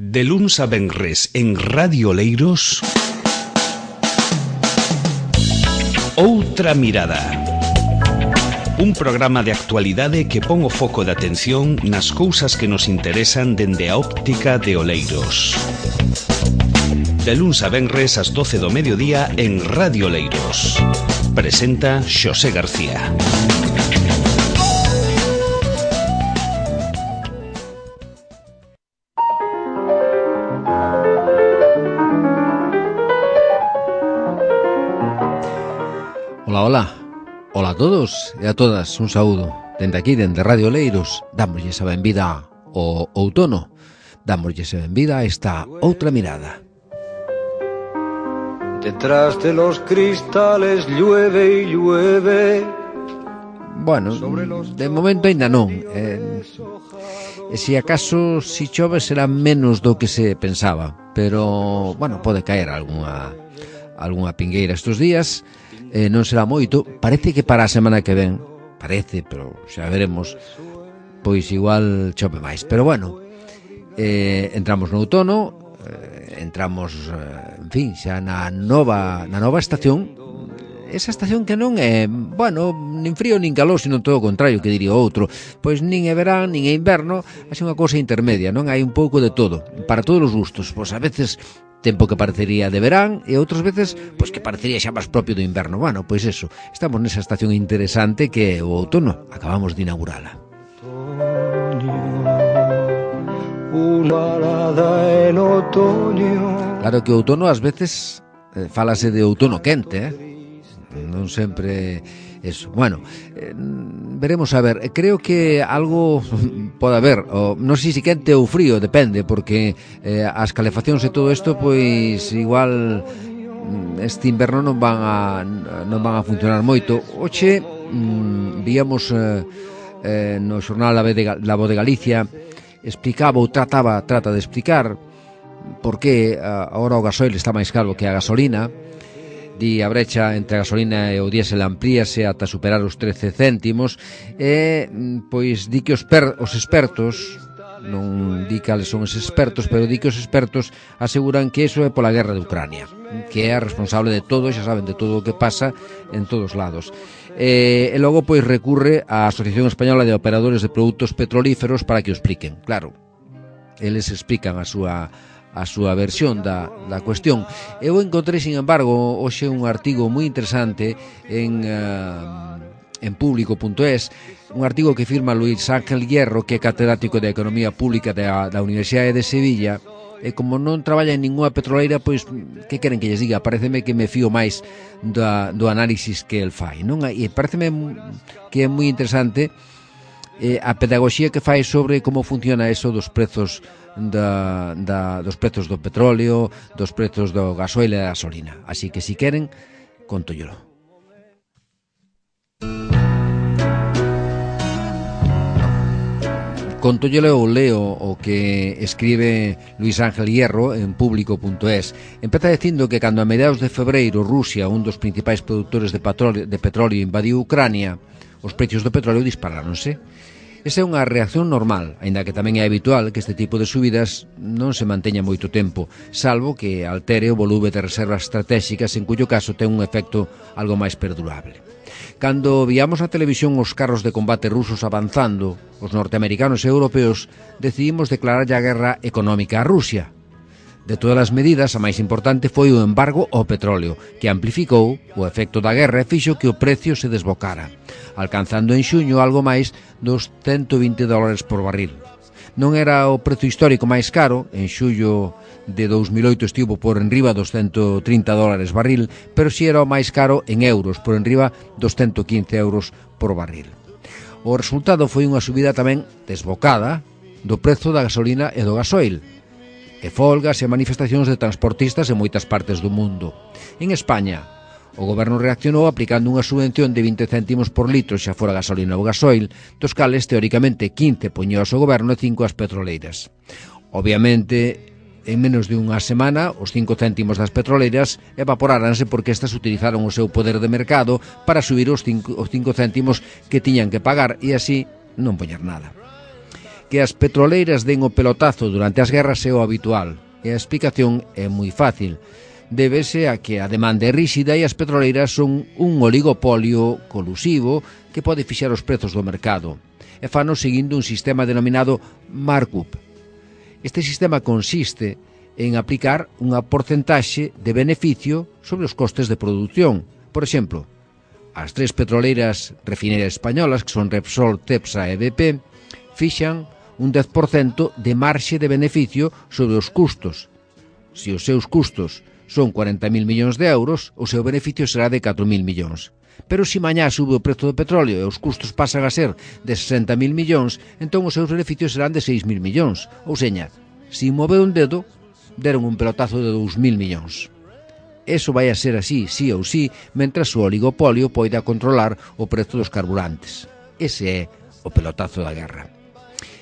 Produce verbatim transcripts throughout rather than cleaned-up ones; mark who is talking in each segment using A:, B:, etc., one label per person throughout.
A: De luns a venres en Radio Oleiros, Outra Mirada. Un programa de actualidade que pon o foco de atención nas cousas que nos interesan dende a óptica de Oleiros. De luns a venres ás doce do mediodía en Radio Oleiros. Presenta Xosé García.
B: Ola, ola, ola a todos e a todas, un saúdo. Dende aquí, dende Radio Oleiros, dámoslle esa benvida ao outono, dámoslle esa benvida a esta outra mirada.
C: Detrás de los cristales llueve y llueve.
B: Bueno, de momento ainda non. Eh, e se acaso si chove será menos do que se pensaba, pero, bueno, pode caer algunha algunha pingueira estes días. Eh, non será moito, parece que para a semana que ven, parece, pero xa veremos, pois igual chove máis. Pero bueno, eh, entramos no outono, eh, entramos, eh, en fin, xa na nova, na nova estación, esa estación que non é, bueno, nin frío nin calor, sino todo o contrario, que diría outro, pois nin é verán, nin é inverno, é unha cousa intermedia, non? Hai un pouco de todo, para todos os gustos, pois a veces tempo que parecería de verán e outras veces pois que parecería xa máis propio do inverno. Bueno, pois eso, estamos nesa estación interesante que é o outono, acabamos de inaugurala. Claro que o outono ás veces eh, fálase de outono quente, eh? Non sempre eso. Bueno, eh, veremos a ver. Creo que algo pode haber, o, non sei se quente ou frío, depende, porque eh, as calefaccións e todo isto, pois igual este inverno non van a non van a funcionar moito. Oxe, mm, víamos eh, eh, no xornal La Voz de Galicia, explicaba ou trataba trata de explicar por que agora o gasoil está máis caro que a gasolina. Di a brecha entre a gasolina e o diésel amplíase ata superar os trece céntimos e, pois, di que os, per, os expertos, non di cales son os expertos, pero di que os expertos aseguran que iso é pola guerra de Ucrania, que é a responsable de todo, xa saben, de todo o que pasa en todos lados. E, e logo, pois, recurre á Asociación Española de Operadores de Produtos Petrolíferos para que o expliquen. Claro, eles explican a súa a súa versión da, da cuestión. Eu encontrei, sin embargo, hoxe un artigo moi interesante en, uh, en público punto es, un artigo que firma Luis Ángel Hierro, que é catedrático de Economía Pública da, da Universidade de Sevilla, e como non traballa en ninguna petroleira, pois, que queren que lles diga? Pareceme que me fío máis da, do análisis que el fai, non? E pareceme que é moi interesante eh, a pedagogía que fai sobre como funciona eso dos prezos Da, da, dos prezos do petróleo, dos prezos do gasoil e da gasolina. Así que, si queren, contóllelo. Contóllelo ou leo o que escribe Luis Ángel Hierro en público punto es. Empeza dicindo que cando a mediados de febreiro Rusia, un dos principais produtores de petróleo, de petróleo invadiu Ucrania, os precios do petróleo disparáronse. Esa é unha reacción normal, aínda que tamén é habitual que este tipo de subidas non se manteña moito tempo, salvo que altere o volume de reservas estratégicas, en cuyo caso ten un efecto algo máis perdurable. Cando víamos na televisión os carros de combate rusos avanzando, os norteamericanos e europeos decidimos declararlle a guerra económica a Rusia. De todas as medidas, a máis importante foi o embargo ao petróleo, que amplificou o efecto da guerra e fixo que o precio se desbocara, alcanzando en xuño algo máis dos ciento vinte dólares por barril. Non era o prezo histórico máis caro, en xullo de dous mil oito estivo por enriba dos ciento trinta dólares barril, pero si era o máis caro en euros, por enriba dos ciento quince euros por barril. O resultado foi unha subida tamén desbocada do prezo da gasolina e do gasoil, e folgas e manifestacións de transportistas en moitas partes do mundo. En España, o goberno reaccionou aplicando unha subvención de vinte céntimos por litro xa fora gasolina ou gasoil, dos cales, teóricamente, quince poñía o goberno e cinco as petroleiras. Obviamente, en menos de unha semana, os cinco céntimos das petroleiras evaporáranse porque estas utilizaron o seu poder de mercado para subir os cinco, os cinco céntimos que tiñan que pagar e así non poñer nada. Que as petroleiras den o pelotazo durante as guerras é o habitual, e a explicación é moi fácil. Débese a que a demanda é ríxida e as petroleiras son un oligopolio colusivo que pode fixar os prezos do mercado, e fano seguindo un sistema denominado markup. Este sistema consiste en aplicar unha porcentaxe de beneficio sobre os costes de produción. Por exemplo, as tres petroleiras refineras españolas, que son Repsol, Cepsa e B P, fixan un dez por cento de marxe de beneficio sobre os custos. Se os seus custos son cuarenta mil millóns de euros, o seu beneficio será de catro mil millóns. Pero se mañá sube o prezo do petróleo e os custos pasan a ser de sesenta mil millóns, entón os seus beneficios serán de seis mil millóns. Ou seña, se mover un dedo, deron un pelotazo de dous mil millóns. Eso vai a ser así, sí ou sí, mentras o oligopolio poida controlar o prezo dos carburantes. Ese é o pelotazo da guerra.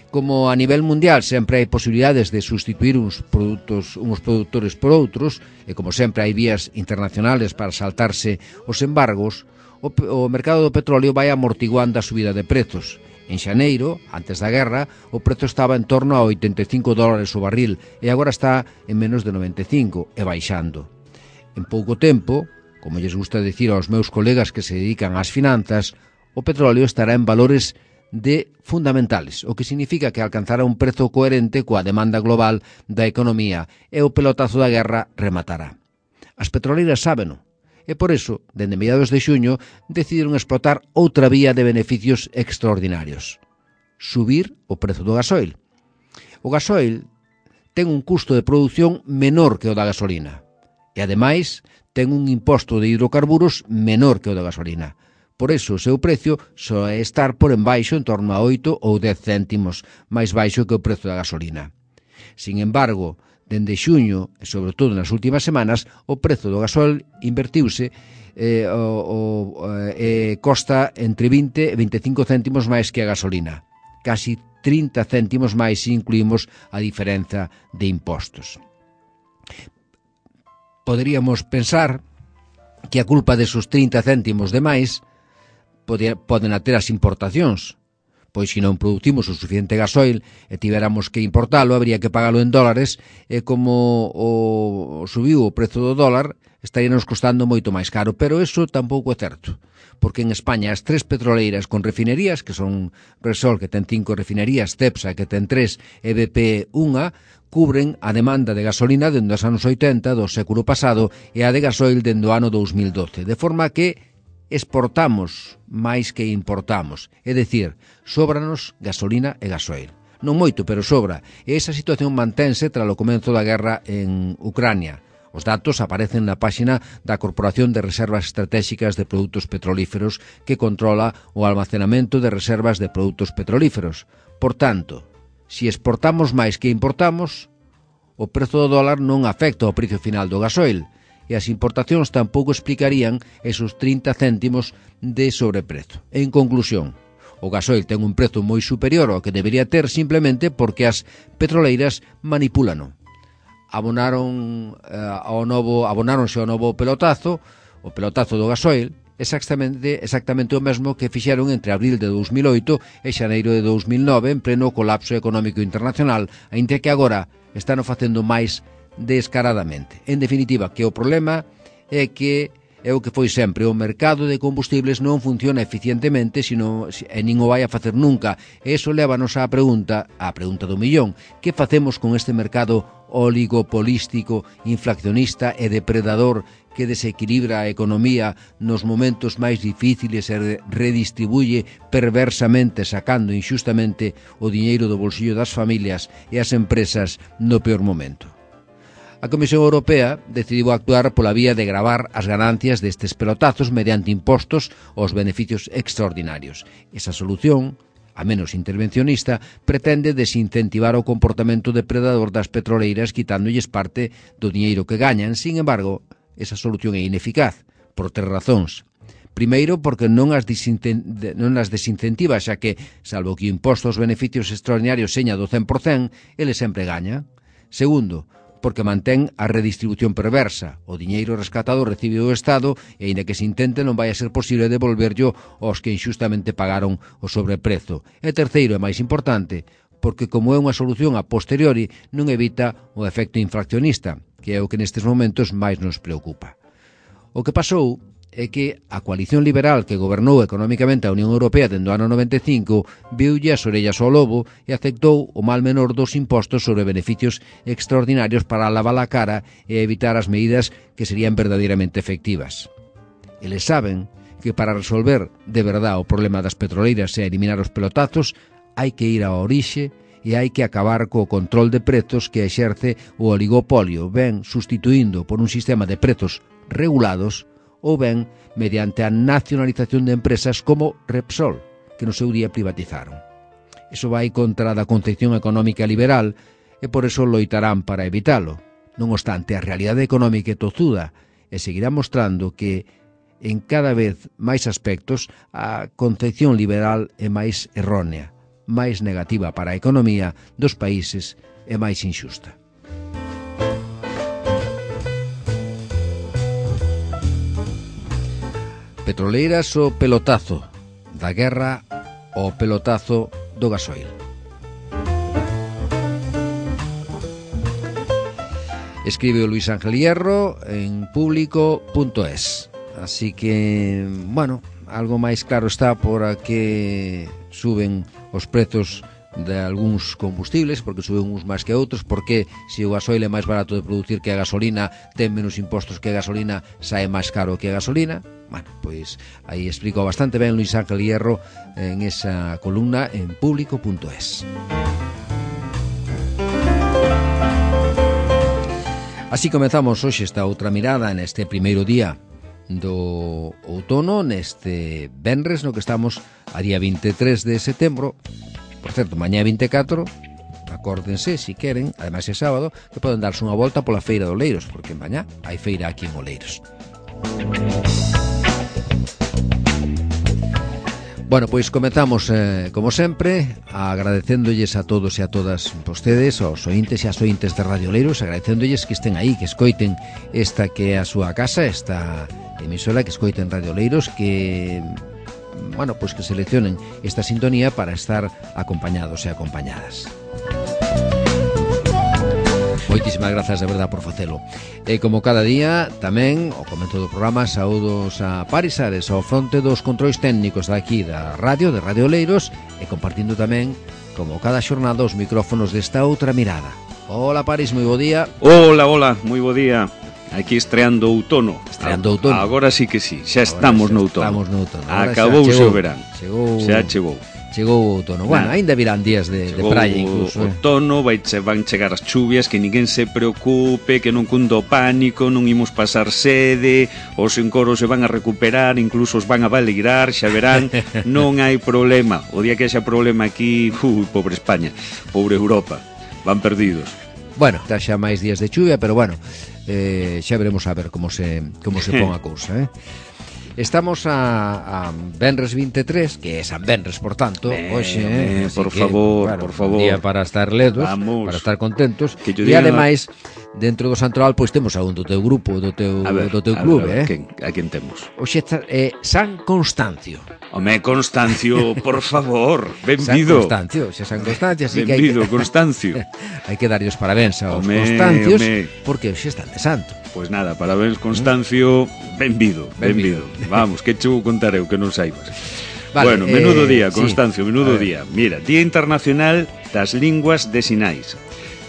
B: Como a nivel mundial sempre hai posibilidades de sustituir uns produtos, uns produtores por outros, e como sempre hai vías internacionales para saltarse os embargos, o, o mercado do petróleo vai amortiguando a subida de prezos. En xaneiro, antes da guerra, o prezo estaba en torno a oitenta e cinco dólares o barril e agora está en menos de noventa e cinco e baixando. En pouco tempo, como lles gusta dicir aos meus colegas que se dedican ás finanzas, o petróleo estará en valores de fundamentales, o que significa que alcanzará un prezo coherente coa demanda global da economía e o pelotazo da guerra rematará. As petroleiras sábeno, e por iso, dende mediados de xuño, decidiron explotar outra vía de beneficios extraordinarios: subir o prezo do gasoil. O gasoil ten un custo de produción menor que o da gasolina, e ademais ten un imposto de hidrocarburos menor que o da gasolina. Por iso o seu precio soe estar por embaixo en torno a oito ou dez céntimos máis baixo que o prezo da gasolina. Sin embargo, dende xuño, e sobre todo nas últimas semanas, o prezo do gasol invertiuse e eh, eh, costa entre vinte e veinticinco céntimos máis que a gasolina. Casi trinta céntimos máis se incluímos a diferenza de impostos. Poderíamos pensar que a culpa desos trinta céntimos de máis poden ter as importacións, pois se non producimos o suficiente gasoil e tiveramos que importalo, habría que pagalo en dólares, e como o subiu o prezo do dólar, estaríanos costando moito máis caro, pero eso tampouco é certo, porque en España as tres petroleiras con refinerías, que son Repsol, que ten cinco refinerías, Cepsa, que ten tres, e B P unha, cubren a demanda de gasolina dende os anos oitenta do século pasado e a de gasoil dende o ano dous mil doce, de forma que exportamos máis que importamos, é dicir, sóbranos gasolina e gasoil. Non moito, pero sobra, e esa situación mantense tras o comenzo da guerra en Ucrania. Os datos aparecen na páxina da Corporación de Reservas Estratégicas de Produtos Petrolíferos, que controla o almacenamento de reservas de produtos petrolíferos. Por tanto, se exportamos máis que importamos, o prezo do dólar non afecta ao precio final do gasoil, e as importacións tampouco explicarían esos trinta céntimos de sobreprezo. En conclusión, o gasoil ten un prezo moi superior ao que debería ter simplemente porque as petroleiras manipúlano. Abonaron eh, ao novo, abonáronse ao novo pelotazo, o pelotazo do gasoil, exactamente, exactamente o mesmo que fixeron entre abril de dous mil oito e xaneiro de dous mil nove en pleno colapso económico internacional, aínda que agora están facendo máis descaradamente. En definitiva, que o problema é que é o que foi sempre, o mercado de combustibles non funciona eficientemente, sino, e nin o vai a facer nunca. E iso lévanos á pregunta, á pregunta do millón: que facemos con este mercado oligopolístico, inflacionista e depredador que desequilibra a economía nos momentos máis difíciles e redistribuye perversamente, sacando inxustamente o diñeiro do bolsillo das familias e as empresas no peor momento? A Comisión Europea decidiu actuar pola vía de gravar as ganancias destes pelotazos mediante impostos aos beneficios extraordinarios. Esa solución, a menos intervencionista, pretende desincentivar o comportamento depredador das petroleiras quitándolles parte do diñeiro que gañan. Sin embargo, esa solución é ineficaz, por tres razóns. Primeiro, porque non as, non as desincentiva, xa que, salvo que o imposto aos beneficios extraordinarios seña do cen por cento, ele sempre gaña. Segundo, porque mantén a redistribución perversa. O diñeiro rescatado recibe o Estado e, aínda que se intente, non vai a ser posible devolverllo aos que inxustamente pagaron o sobreprezo. E terceiro, e máis importante, porque como é unha solución a posteriori non evita o efecto infraccionista, que é o que nestes momentos máis nos preocupa. O que pasou é que a coalición liberal que gobernou económicamente a Unión Europea dende o ano noventa e cinco viulle as orellas ao lobo e aceptou o mal menor dos impostos sobre beneficios extraordinarios para lavar a cara e evitar as medidas que serían verdadeiramente efectivas. Eles saben que para resolver de verdade o problema das petroleiras e eliminar os pelotazos hai que ir á orixe e hai que acabar co control de prezos que exerce o oligopolio, ben sustituindo por un sistema de prezos regulados ou ben mediante a nacionalización de empresas como Repsol, que no seu día privatizaron. Iso vai contra da concepción económica liberal e por eso loitarán para evitalo. Non obstante, a realidade económica é tozuda e seguirá mostrando que en cada vez máis aspectos a concepción liberal é máis errónea, máis negativa para a economía dos países e máis inxusta. Petroleiras o pelotazo, da guerra o pelotazo do gasoil. Escribe o Luis Ángel Hierro en público punto es. Así que, bueno, algo máis claro está por a que suben os prezos de algúns combustibles, porque suben uns máis que outros, porque se o gasoil é máis barato de producir que a gasolina, ten menos impostos que a gasolina, sae máis caro que a gasolina. Bueno, pois aí explicou bastante ben Luis Ángel Hierro en esa columna en público punto es. Así comezamos hoxe esta outra mirada neste primeiro día do outono, neste venres no que estamos a día vinte e tres de setembro. Por certo, mañá vinte e catro, acórdense, se queren, ademais é sábado, que poden darse unha volta pola feira de Oleiros, porque mañá hai feira aquí en Oleiros. Bueno, pois comezamos, eh, como sempre, agradecéndolles a todos e a todas vostedes, aos ointes e as ointes de Radio Oleiros, agradecéndolles que estén aí, que escoiten esta que é a súa casa, esta emisora, que escoiten Radio Oleiros, que, bueno, pois que seleccionen esta sintonía para estar acompañados e acompañadas. Moitísimas grazas de verdade por facelo. E como cada día, tamén, ao comezo do programa, saúdos a Paris Ares, ao fronte dos controis técnicos daqui da radio, de Radio Oleiros, e compartindo tamén, como cada xornada, os micrófonos desta outra mirada. Hola Paris, moi bo día.
A: Hola, hola, moi bo día. Aquí estreando outono.
B: Estreando outono.
A: Agora sí que sí, xa estamos no outono.
B: Estamos no outono.
A: Acabouse o verán.
B: Chegou.
A: Xa chegou.
B: Chegou o outono. Bueno, aínda virán días de, de praia incluso.
A: O outono, vai che, van chegar as chuvias, que ninguén se preocupe, que non cundo pánico, non imos pasar sede, os encoros se van a recuperar, incluso os van a valeirar, xa verán, non hai problema. O día que haxa problema aquí, ui, pobre España, pobre Europa, van perdidos.
B: Bueno, está xa máis días de chuvia, pero bueno, eh, xa veremos a ver como se como se pon a cousa, eh? Estamos a, a Venres vinte e tres, que é San Venres, por tanto,
A: eh,
B: hoxe, eh,
A: por
B: que,
A: favor,
B: claro,
A: por favor.
B: Un día para estar ledos,
A: Vamos.
B: para estar contentos.
A: Que
B: e ademais, dentro do Santoral, pois temos a un do teu grupo, do teu,
A: ver,
B: do teu
A: a
B: clube,
A: ver, a ver,
B: eh?
A: Quen, a quen temos?
B: Hoxe é San Constancio.
A: Home, Constancio, por favor,
B: San
A: benvido.
B: Constancio, xe San Constancio, así
A: benvido,
B: que hai que,
A: Constancio.
B: hai que darlle os parabéns aos
A: Home,
B: Constancios,
A: home.
B: porque hoxe están de santo.
A: Pois nada, parabéns Constancio, benvido, benvido. Vamos, que che vou contar eu que non saibas.
B: Vale,
A: bueno, menudo
B: eh,
A: día, Constancio,
B: sí.
A: menudo día. Mira, Día Internacional das Linguas de Sinais,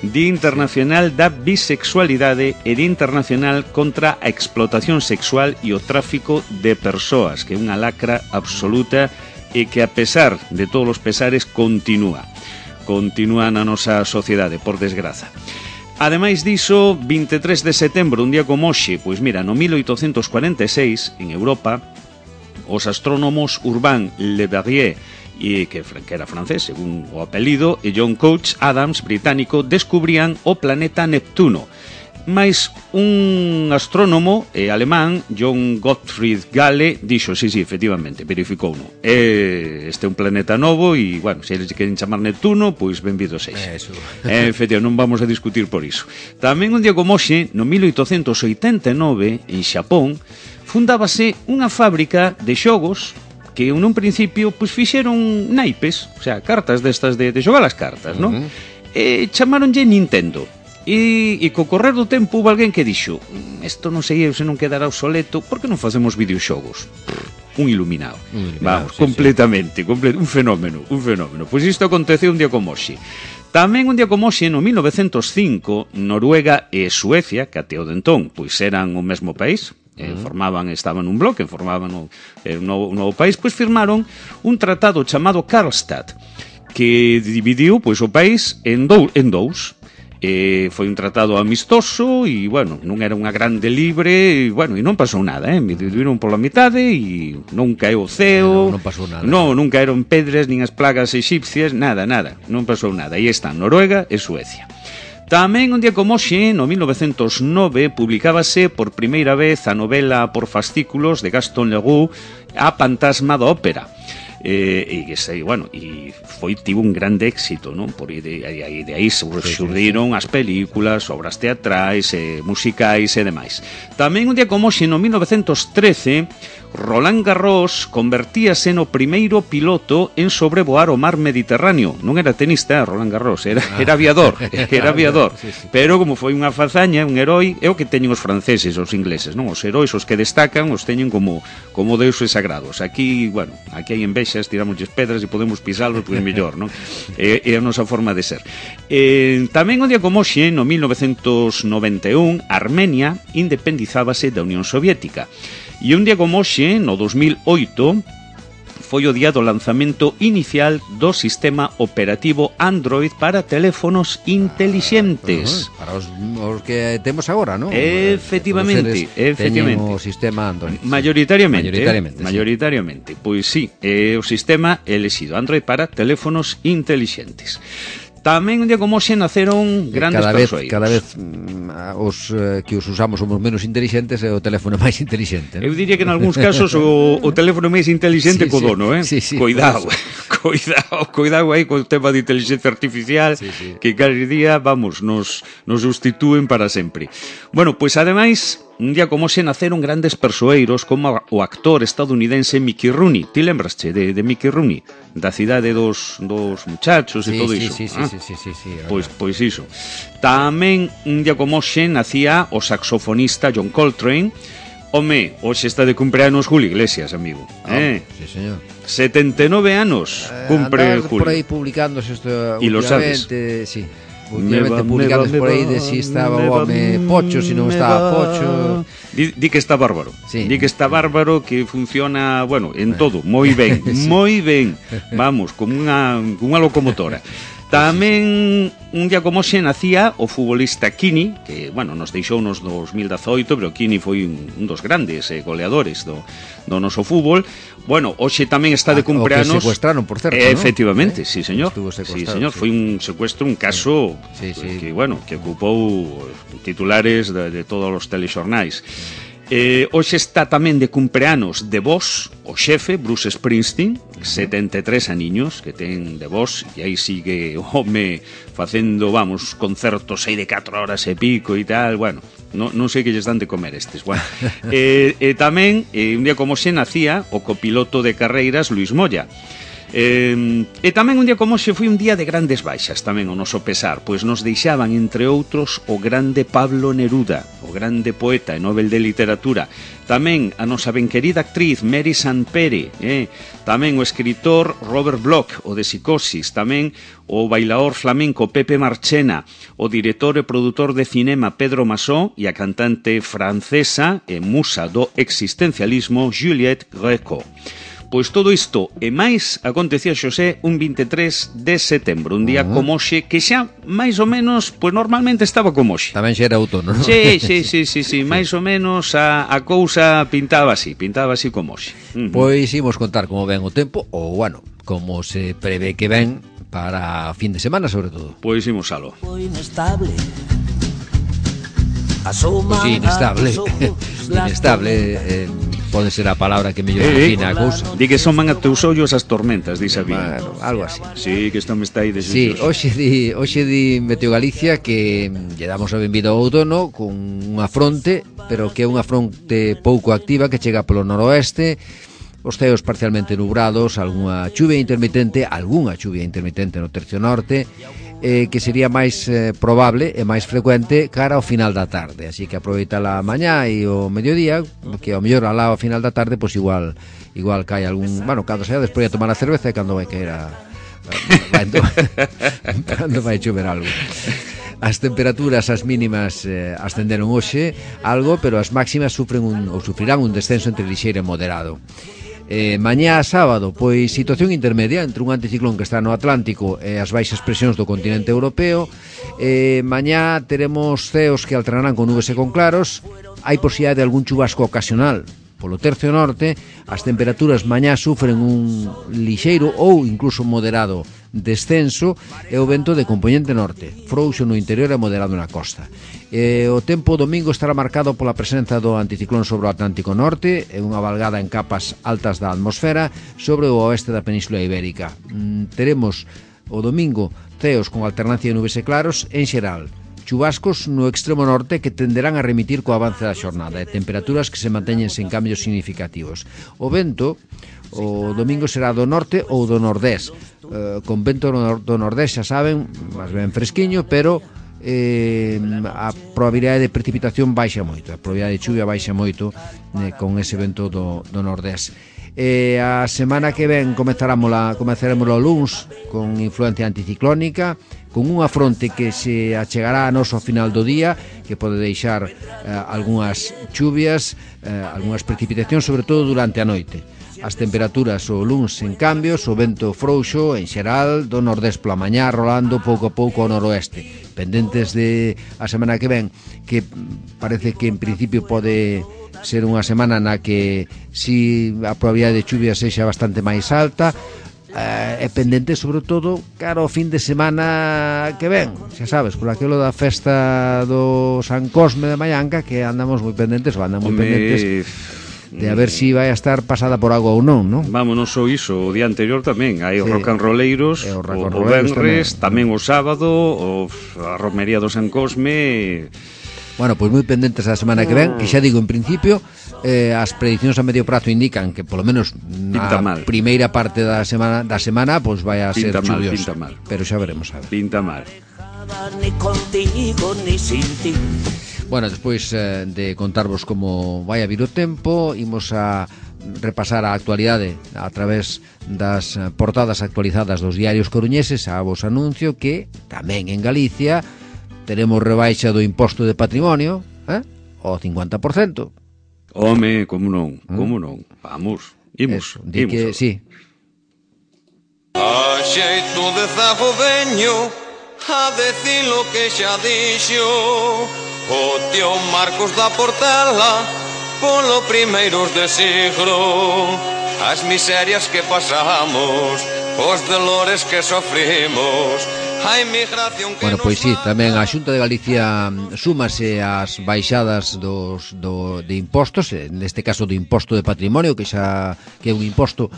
A: Día Internacional da Bisexualidade e Día Internacional contra a explotación sexual e o tráfico de persoas, que é unha lacra absoluta e que a pesar de todos os pesares continúa. Continúa na nosa sociedade, por desgraza. Ademais diso, vinte e tres de setembro, un día como hoxe, pois mira, no mil oitocentos cuarenta e seis, en Europa, os astrónomos Urbain Le Verrier, e que, que era francés, según o apelido, e John Couch Adams, británico, descubrían o planeta Neptuno. Mais un astrónomo eh, alemán, John Gottfried Galle, dixo, sí, sí, efectivamente, verificou no. Eh, este é un planeta novo e, bueno, se eles queren chamar Neptuno, pois benvido sexa.
B: Eso.
A: Eh, efectivamente, non vamos a discutir por iso. Tamén un día como hoxe, no mil oitocentos oitenta e nove, en Xapón, fundábase unha fábrica de xogos que nun principio pois fixeron naipes, o sea, cartas destas de, de xogar as cartas, non? Uh-huh. E chamaronlle Nintendo. E, e co correr do tempo houve alguén que dixo: isto non sei eu se non quedará obsoleto, por que non facemos videoxogos? Un iluminado, un iluminado vamos, sí, completamente, sí. Comple- un fenómeno, un fenómeno. Pois isto aconteceu un día como hoxe. Tamén un día como hoxe, no mil novecentos cinco, Noruega e Suecia, que até o dentón, pois eran o mesmo país, eh, formaban, estaban nun bloque, formaban un, un, novo, un novo país, pois firmaron un tratado chamado Karlstad, que dividiu pois o país en dous, en dous. Eh, foi un tratado amistoso e, bueno, non era unha grande libre e, bueno, e non pasou nada, eh? Me dividiron pola mitade e non caeu o ceo,
B: non, non pasou nada,
A: non, non caeron pedras nin as plagas egipcias, nada, nada, non pasou nada. Aí están Noruega e Suecia. Tamén un día como hoxe, no mil novecentos nove, publicábase por primeira vez a novela por fascículos de Gaston Leroux, A Fantasma da Ópera. Eh, e sei, bueno, e foi tivo un grande éxito, non? Por aí de, de, de aí surdiron as películas, obras teatrais, eh, musicais e demais. Tamén un día como hoxe, no mil novecentos trece, Roland Garros convertíase no primeiro piloto en sobrevoar o mar Mediterráneo. Non era tenista, Roland Garros, era, era aviador, era aviador. Pero como foi unha fazaña, un heroi, é o que teñen os franceses, os ingleses, non? Os heróis, os que destacan, os teñen como como deuses sagrados. Aquí, bueno, aquí hai envexas, tiramosles pedras e podemos pisalos, pois mellor, non? É, é a nosa forma de ser. Eh, tamén un día como hoxe, no mil novecentos noventa e un, Armenia independizábase da Unión Soviética. E un día como hoxe, no dos mil oito, foi o día do lanzamento inicial do sistema operativo Android para teléfonos intelixentes.
B: Ah, para os, os que temos agora, non?
A: Efectivamente, efectivamente.
B: Teñen o sistema Android.
A: Mayoritariamente,
B: mayoritariamente,
A: eh, mayoritariamente. Pois sí, é o sistema elexido Android para teléfonos intelixentes. Tamén un día como hoxe naceron grandes
B: cada vez,
A: persoeiros.
B: Cada vez mm, os eh, que os usamos somos menos intelixentes e o teléfono máis intelixente, ¿no?
A: Eu diría que en algúns casos o, o teléfono máis intelixente sí, co dono, eh?
B: Sí, sí,
A: cuidado, cuidado, cuidado aí co tema de inteligencia artificial, sí, sí. Que cada día, vamos, nos, nos sustitúen para sempre. Bueno, pois ademais, un día como hoxe naceron grandes persoeiros como o actor estadounidense Mickey Rooney. Ti lembrasche de, de Mickey Rooney? Da cidade dos, dos muchachos
B: sí,
A: e todo
B: sí,
A: iso.
B: Sí, sí,
A: ah?
B: sí, sí, sí, sí,
A: pois, pois iso. Tamén un día como hoxe nacía o saxofonista John Coltrane. Home, hoxe está de cumpleanos Julio Iglesias, amigo.
B: Oh,
A: eh?
B: Sí, señor.
A: setenta e nove anos cumpre
B: eh,
A: Julio.
B: Por aí publicándose isto
A: y lo sabes.
B: Sí. Últimamente publicados por aí de si estaba o home pocho, si non estaba pocho.
A: Di, di que está bárbaro,
B: sí.
A: Di que está bárbaro, que funciona, bueno, en todo, moi ben, sí. moi ben. Vamos, como unha unha locomotora. Tamén un día como hoxe nacía o futbolista Kini, que, bueno, nos deixou nos dos mil dezoito, pero Kini foi un, un dos grandes eh, goleadores do, do noso fútbol. Bueno, hoxe tamén está de cumpleanos.
B: O que secuestraron, por certo,
A: eh, efectivamente, ¿no? Sí, señor. Sí, señor,
B: sí.
A: Foi un secuestro, un caso
B: sí, sí.
A: que, bueno, que ocupou titulares de, de todos os telexornais. Eh, hoxe está tamén de cumpleanos de Vos, o xefe, Bruce Springsteen, setenta e tres aniños que ten de Vos, e aí sigue o home facendo, vamos, concertos aí de catro horas e pico e tal, bueno, non, non sei que lles dan de comer estes, bueno. eh, eh, tamén, eh, un día como xe nacía o copiloto de carreiras Luis Moya. Eh, e tamén un día como xe foi un día de grandes baixas tamén o noso pesar, pois nos deixaban entre outros o grande Pablo Neruda, o grande poeta e Nobel de Literatura, tamén a nosa ben querida actriz Mary Sanpere, eh? tamén o escritor Robert Bloch, o de Psicosis, tamén o bailador flamenco Pepe Marchena, o director e produtor de cinema Pedro Masó e a cantante francesa e musa do existencialismo Juliette Gréco. Pois todo isto e máis acontecía, Xosé, un vinte e tres de setembro, un día uh-huh. como hoxe, que xa máis ou menos, pois normalmente estaba como hoxe.
B: Tamén xa era outono, non?
A: Sí, sí, sí, sí, sí, máis ou menos a, a cousa pintaba así, pintaba así como hoxe. Uh-huh.
B: Pois imos contar como ven o tempo, ou, bueno, como se prevé que ven para fin de semana, sobre todo.
A: Pois imos alo.
D: Inestable.
B: Pois sí, inestable. Inestable, eh, pode ser a palabra que mellor define a cousa.
A: Di que soman a teus ollos as tormentas, di Sabina.
B: Bueno, algo así.
A: Sí, que isto me está aí de
B: Sí, hoxe di, hoxe di Meteo Galicia que lle damos a benvida ao outono con unha fronte, pero que é unha fronte pouco activa que chega polo noroeste os ceos parcialmente nubrados, algunha chuvia intermitente, algunha chuvia intermitente no tercio norte, eh, que sería máis eh, probable e máis frecuente cara ao final da tarde, así que aproveita a mañá e o mediodía, que ao mellor alá ao final da tarde, pois igual igual cae algún, bueno, cando sea despois de tomar a cerveza e cando vai caer a, a, a cando vai chover algo. As temperaturas, as mínimas eh, ascenderon hoxe algo, pero as máximas sufren un, ou sufrirán un descenso entre lixeiro e moderado. Eh, mañá sábado, pois situación intermedia entre un anticiclón que está no Atlántico e as baixas presións do continente europeo. Eh, mañá teremos ceos que alternarán con nubes e con claros. Hai posibilidade de algún chubasco ocasional polo tercio norte. As temperaturas mañá sufren un lixeiro ou incluso moderado descenso e o vento de compoñente norte, frouxo no interior e moderado na costa. E o tempo domingo estará marcado pola presenza do anticiclón sobre o Atlántico Norte e unha valgada en capas altas da atmosfera sobre o oeste da Península Ibérica. Mm, teremos o domingo ceos con alternancia de nubes e claros en xeral, chubascos no extremo norte que tenderán a remitir co avance da xornada e temperaturas que se manteñen sen cambios significativos. O vento o domingo será do norte ou do nordés, eh, con vento do nordés, xa saben, máis ben fresquiño, pero eh, a probabilidade de precipitación baixa moito, a probabilidade de chuvia baixa moito eh, con ese vento do, do nordés. Eh, a semana que ven comezaremos o luns con influencia anticiclónica, con unha fronte que se achegará a nos ao final do día, que pode deixar eh, algunhas chuvias, eh, algunhas precipitacións, sobre todo durante a noite. As temperaturas o luns en cambios, o vento frouxo en xeral do nordés pola mañá, rolando pouco a pouco ao noroeste, pendentes de a semana que ven, que parece que en principio pode ser unha semana na que si a probabilidade de chuvia sexa bastante máis alta, eh, é pendente sobre todo cara ao fin de semana que ven, xa sabes, por aquilo da festa do San Cosme de Mallanca, que andamos moi pendentes, ou andan moi
A: Home...
B: pendentes de a ver si vai a estar pasada por agua ou non, non?
A: Vamos, non só iso, o día anterior tamén hai sí. rock and rolleiros, o, o venres, tamén. tamén o sábado, o, a romería do San Cosme.
B: Bueno, pois moi pendentes a semana que ven, que xa digo, en principio, eh, as prediccións a medio prazo indican que polo menos na primeira parte da semana da semana pois vai a ser chuviosa, pero xa veremos a ver.
A: Pinta mal.
D: Ni contigo ni sin ti.
B: Bueno, despois eh, de contarvos como vai a vir o tempo, imos a repasar a actualidade a través das portadas actualizadas dos diarios coruñeses. A vos anuncio que tamén en Galicia teremos rebaixa do imposto de patrimonio, eh? O cincuenta por cento.
A: Home, como non, como non. Vamos, imos,
B: Eso, di
A: imos.
B: Que, sí.
E: A xeito de zago veño a decir lo que xa dixo o tío Marcos da Portela polo primeiros de siglo. As miserias que pasamos, os dolores que sofrimos, a inmigración que
B: Bueno, pois sí,
E: nos...
B: tamén a Xunta de Galicia súmase ás baixadas dos, do, de impostos, neste caso do imposto de patrimonio, que xa que é un imposto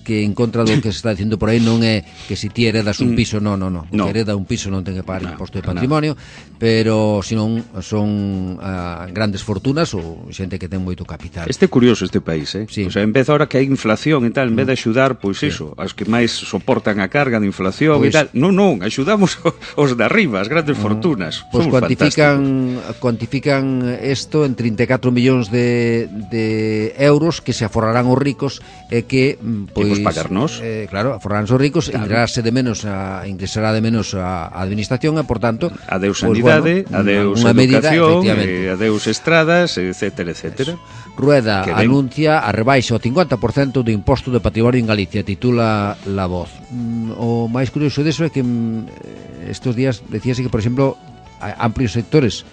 B: que en contra do que se está dicindo por aí non é que se ti heredas un piso, non, non, non, no. Que hereda un piso non ten que pagar no, imposto de patrimonio, no. Pero senón son uh, grandes fortunas ou xente que ten moito capital.
A: Este é curioso este país, eh?
B: Sí.
A: O sea, en vez ahora que hai inflación e tal, en vez de axudar, pois sí. Iso, as que máis soportan a carga de inflación pois, e tal, non, non, axudamos os de arriba, as grandes fortunas.
B: Pois cuantifican cuantifican isto en trinta e catro millóns de, de euros que se aforrarán os ricos e que pois
A: pagarnos.
B: Eh, claro, aforrarán os ricos, claro. ingresará de menos a ingresará de menos a, a administración e por tanto,
A: adeus
B: pues,
A: sanidade,
B: bueno,
A: adeus
B: unha
A: educación,
B: medida,
A: eh, adeus estradas, etcétera, etcétera.
B: Eso. Rueda anuncia a rebaixa ao cincuenta por cento do imposto de patrimonio en Galicia, titula La Voz. Mm, o máis curioso deso é que mm, estos días decíase que, por exemplo, amplios sectores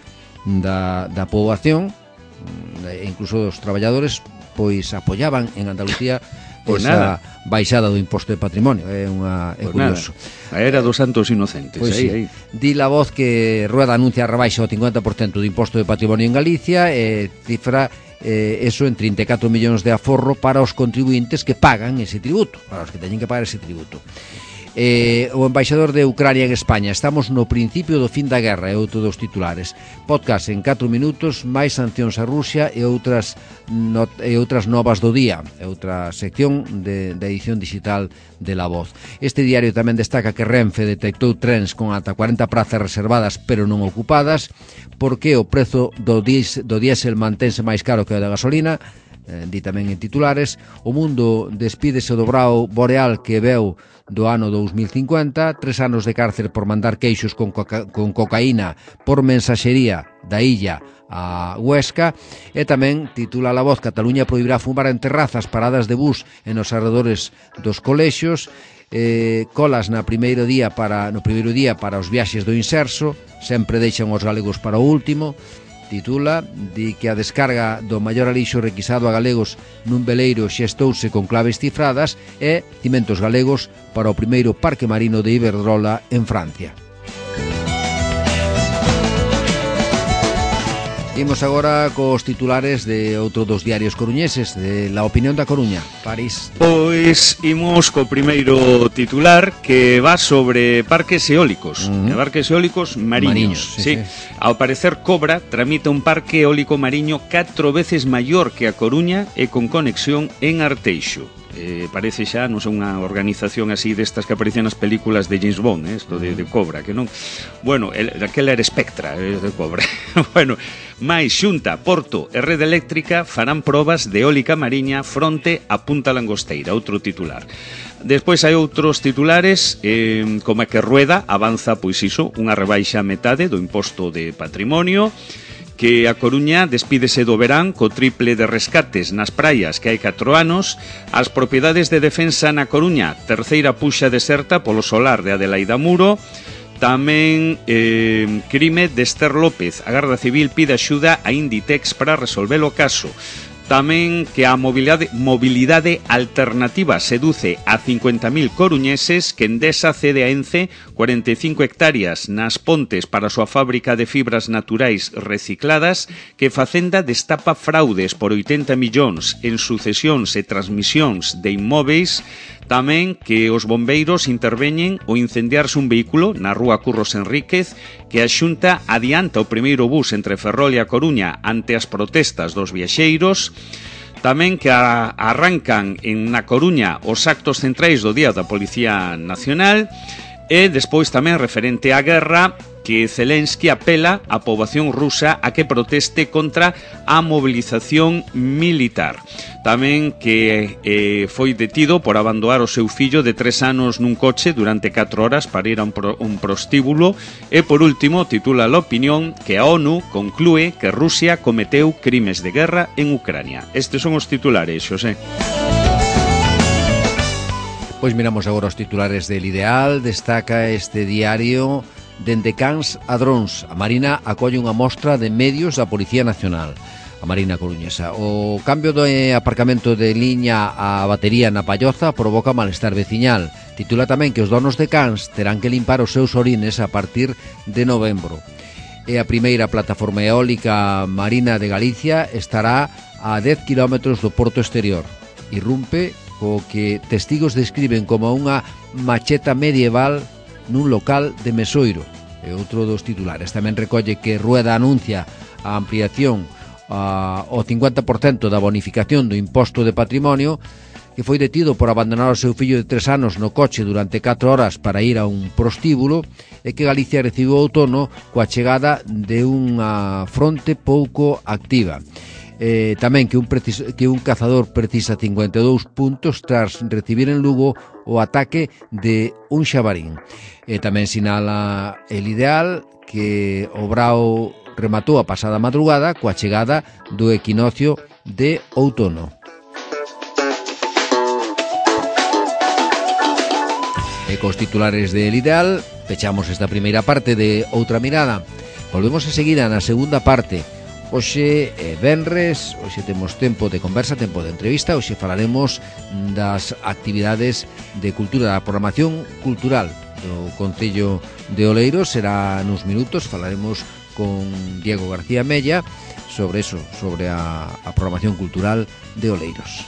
B: da, da poboación, mm, incluso os traballadores, pois apoyaban en Andalucía
A: Pues
B: esa
A: nada.
B: baixada do imposto de patrimonio. É unha é
A: Pues
B: curioso.
A: Nada. A era dos santos inocentes.
B: Pois
A: aí,
B: sí.
A: aí.
B: Di La Voz que Rueda anuncia a rebaixa ao cincuenta por cento do imposto de patrimonio en Galicia e cifra eh, eso en trinta e catro millóns de aforro para os contribuintes que pagan ese tributo, para os que teñen que pagar ese tributo. Eh, o embaixador de Ucrania en España. Estamos no principio do fin da guerra, é outro dos titulares. Podcast en catro minutos, máis sancións a Rusia e outras not, e outras novas do día. É outra sección de, de edición digital de La Voz. Este diario tamén destaca que Renfe detectou trens con ata cuarenta prazas reservadas pero non ocupadas, porque o prezo do, dies, do diésel mantense máis caro que o da gasolina. Eh, di tamén en titulares. O mundo despídese do brao boreal que veu do ano dous mil cincuenta, tres anos de cárcel por mandar queixos con, coca, con cocaína por mensaxería da illa a Huesca. E tamén titula La Voz: Cataluña prohibirá fumar en terrazas, paradas de bus e nos arredores dos colexios. Eh, colas na primeiro día para, no primeiro día para os viaxes do Inserso, sempre deixan os galegos para o último. Titula, di que a descarga do maior alixo requisado a galegos nun veleiro xestouse con claves cifradas e cimentos galegos para o primeiro parque marino de Iberdrola en Francia. Imos agora cos titulares de outro dos diarios coruñeses, de La Opinión da Coruña. París.
A: Pois imos co primeiro titular, que va sobre parques eólicos, uh-huh. Parques eólicos mariños, mariños sí, sí. Sí. Ao parecer Cobra tramita un parque eólico mariño catro veces maior que a Coruña e con conexión en Arteixo. Eh, parece xa, non sei, unha organización así destas que aparecen nas películas de James Bond, eh, esto de, de Cobra, que non... Bueno, el, aquela era Spectra, eh, de Cobra. Bueno, máis Xunta, Porto e Rede Eléctrica farán probas de eólica mariña fronte a Punta Langosteira, outro titular. Despois hai outros titulares, eh, como é que Rueda avanza, pois iso, unha rebaixa a metade do imposto de patrimonio, que a Coruña despídese do verán co triple de rescates nas praias que hai catro anos, as propiedades de defensa na Coruña, terceira puxa deserta polo solar de Adelaida Muro, tamén eh, crime de Esther López, a Garda Civil pide axuda a Inditex para resolver o caso. Tamén que a mobilidade, mobilidade alternativa seduce a cincuenta mil coruñeses, que Endesa cede a Ence cuarenta e cinco hectáreas nas Pontes para a súa fábrica de fibras naturais recicladas, que Facenda destapa fraudes por oitenta millóns en sucesións e transmisións de inmóveis. Tamén que os bombeiros interveñen ao incendiarse un vehículo na rúa Curros Enríquez, que a Xunta adianta o primeiro bus entre Ferrol e a Coruña ante as protestas dos viaxeiros. Tamén que a, arrancan en na Coruña os actos centrais do Día da Policía Nacional. E despois tamén referente á guerra, que Zelensky apela á poboación rusa a que proteste contra a mobilización militar. Tamén que eh, foi detido por abandonar o seu fillo de tres anos nun coche durante catro horas para ir a un, pro, un prostíbulo. E por último, titula La Opinión, que a ONU conclúe que Rusia cometeu crimes de guerra en Ucrania. Estes son os titulares, Xosé.
B: Pois miramos agora os titulares del Ideal. Destaca este diario: dende Cans a Drons, a Marina acolle unha mostra de medios da Policía Nacional, a Marina coruñesa. O cambio do aparcamento de liña a batería na Palloza provoca malestar veciñal. Titula tamén que os donos de Cans terán que limpar os seus orines a partir de novembro. E a primeira plataforma eólica marina de Galicia estará a dez kilómetros do porto exterior. Irrumpe o que testigos describen como unha macheta medieval nun local de Mesoiro. É outro dos titulares. Tamén recolle que Rueda anuncia a ampliación a, ao cincuenta por cento da bonificación do imposto de patrimonio, que foi detido por abandonar o seu fillo de tres anos no coche durante catro horas para ir a un prostíbulo, e que Galicia recibiu o outono coa chegada de unha fronte pouco activa. Eh, tamén que un, precis, que un cazador precisa cincuenta e dous puntos tras recibir en Lugo o ataque de un xabarín. E tamén sinala el Ideal que o Brao rematou a pasada madrugada coa chegada do equinoccio de outono. E cos titulares del Ideal pechamos esta primeira parte de Outra Mirada. Volvemos enseguida na segunda parte. Hoxe é venres, hoxe temos tempo de conversa, tempo de entrevista. Hoxe falaremos das actividades de cultura, da programación cultural do Concello de Oleiros. Será nuns minutos, falaremos con Diego García Mella sobre eso, sobre a, a programación cultural de Oleiros.